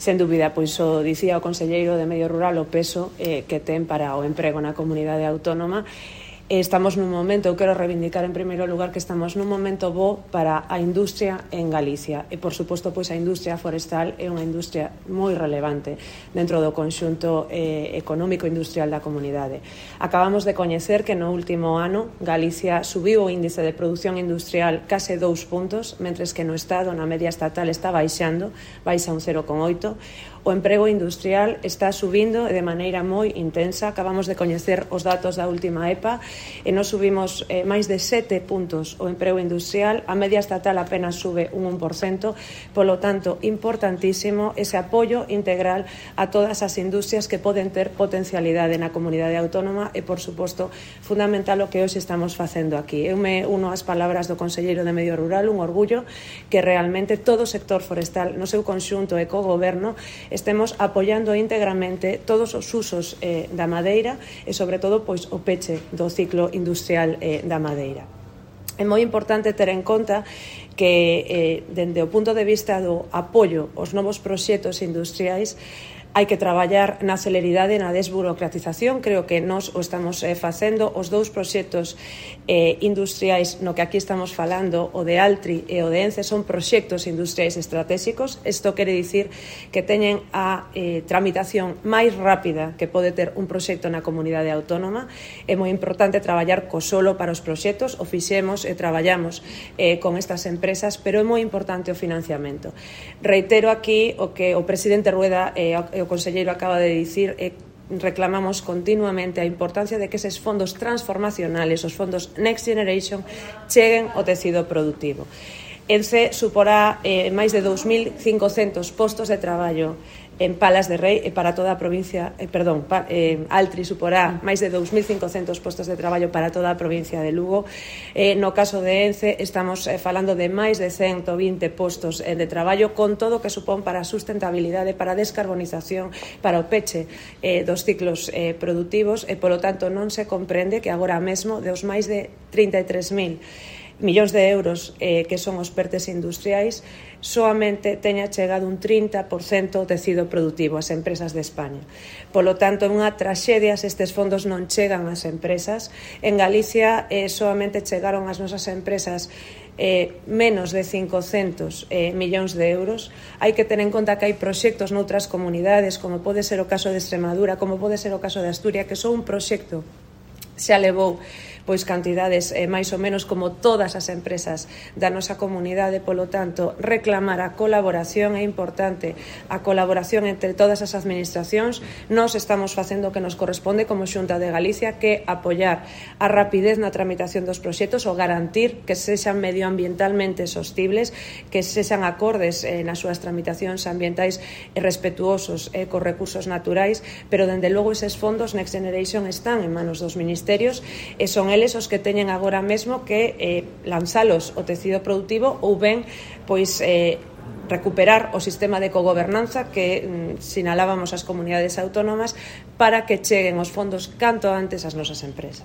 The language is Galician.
Sen dúbida, pois o dicía o conselleiro de Medio Rural o peso que ten para o emprego na comunidade autónoma. Estamos nun momento, eu quero reivindicar en primeiro lugar que estamos nun momento bo para a industria en Galicia e, por suposto, pois a industria forestal é unha industria moi relevante dentro do conxunto económico industrial da comunidade. Acabamos de coñecer que no último ano Galicia subiu o índice de produción industrial case 2 puntos, mentres que no Estado, na media estatal, está baixando, baixa un 0,8. O emprego industrial está subindo de maneira moi intensa. Acabamos de coñecer os datos da última EPA e nos subimos máis de 7 puntos o emprego industrial. A media estatal apenas sube un 1%. Polo tanto, importantísimo ese apoio integral a todas as industrias que poden ter potencialidade na comunidade autónoma e, por suposto, fundamental o que hoxe estamos facendo aquí. Eu me uno ás palabras do conselleiro de Medio Rural, un orgullo que realmente todo o sector forestal no seu conxunto e co goberno estemos apoiando íntegramente todos os usos da madeira e, sobre todo, pois, o peche do ciclo industrial da madeira. É moi importante ter en conta que, dende o punto de vista do apoio aos novos proxectos industriais, hai que traballar na celeridade e na desburocratización. Creo que nós o estamos facendo. Os dous proxectos industriais no que aquí estamos falando, o de Altri e o de Ence, son proxectos industriais estratégicos. Isto quere dicir que teñen a tramitación máis rápida que pode ter un proxecto na comunidade autónoma. É moi importante traballar co solo para os proxectos. O fixemos e traballamos con estas empresas, pero é moi importante o financiamento. Reitero aquí o que o presidente Rueda e o conselleiro acaba de dicir, reclamamos continuamente a importancia de que eses fondos transformacionales, os fondos Next Generation, cheguen ao tecido productivo. Ence suporá máis de 2.500 postos de traballo en Palas de Rei e para toda a provincia, Altri suporá máis de 2.500 postos de traballo para toda a provincia de Lugo. No caso de Ence estamos falando de máis de 120 postos de traballo, con todo o que supón para a sustentabilidade, para a descarbonización, para o peche dos ciclos productivos e, polo tanto, non se comprende que agora mesmo dos máis de 33.000 millóns de euros que son os pertes industriais, soamente teña chegado un 30% ao tecido productivo ás empresas de España. Polo tanto, é unha traxedia se estes fondos non chegan ás empresas. En Galicia soamente chegaron ás nosas empresas menos de 500 millóns de euros. Hai que ter en conta que hai proxectos noutras comunidades, como pode ser o caso de Extremadura, como pode ser o caso de Asturias, que son un proxecto xa levou pois cantidades máis ou menos como todas as empresas da nosa comunidade. Polo tanto, reclamar a colaboración é importante, a colaboración entre todas as administracións. Nós estamos facendo o que nos corresponde como Xunta de Galicia, que apoiar a rapidez na tramitación dos proxectos, ou garantir que sexan medioambientalmente sostibles, que sexan acordes nas súas tramitacións ambientais e respetuosos cos recursos naturais, pero, dende logo, eses fondos Next Generation están en manos dos ministerios e son eles os que teñen agora mesmo que lanzalos ao tecido productivo ou ben pois recuperar o sistema de cogobernanza que sinalábamos as comunidades autónomas para que cheguen os fondos canto antes ás nosas empresas.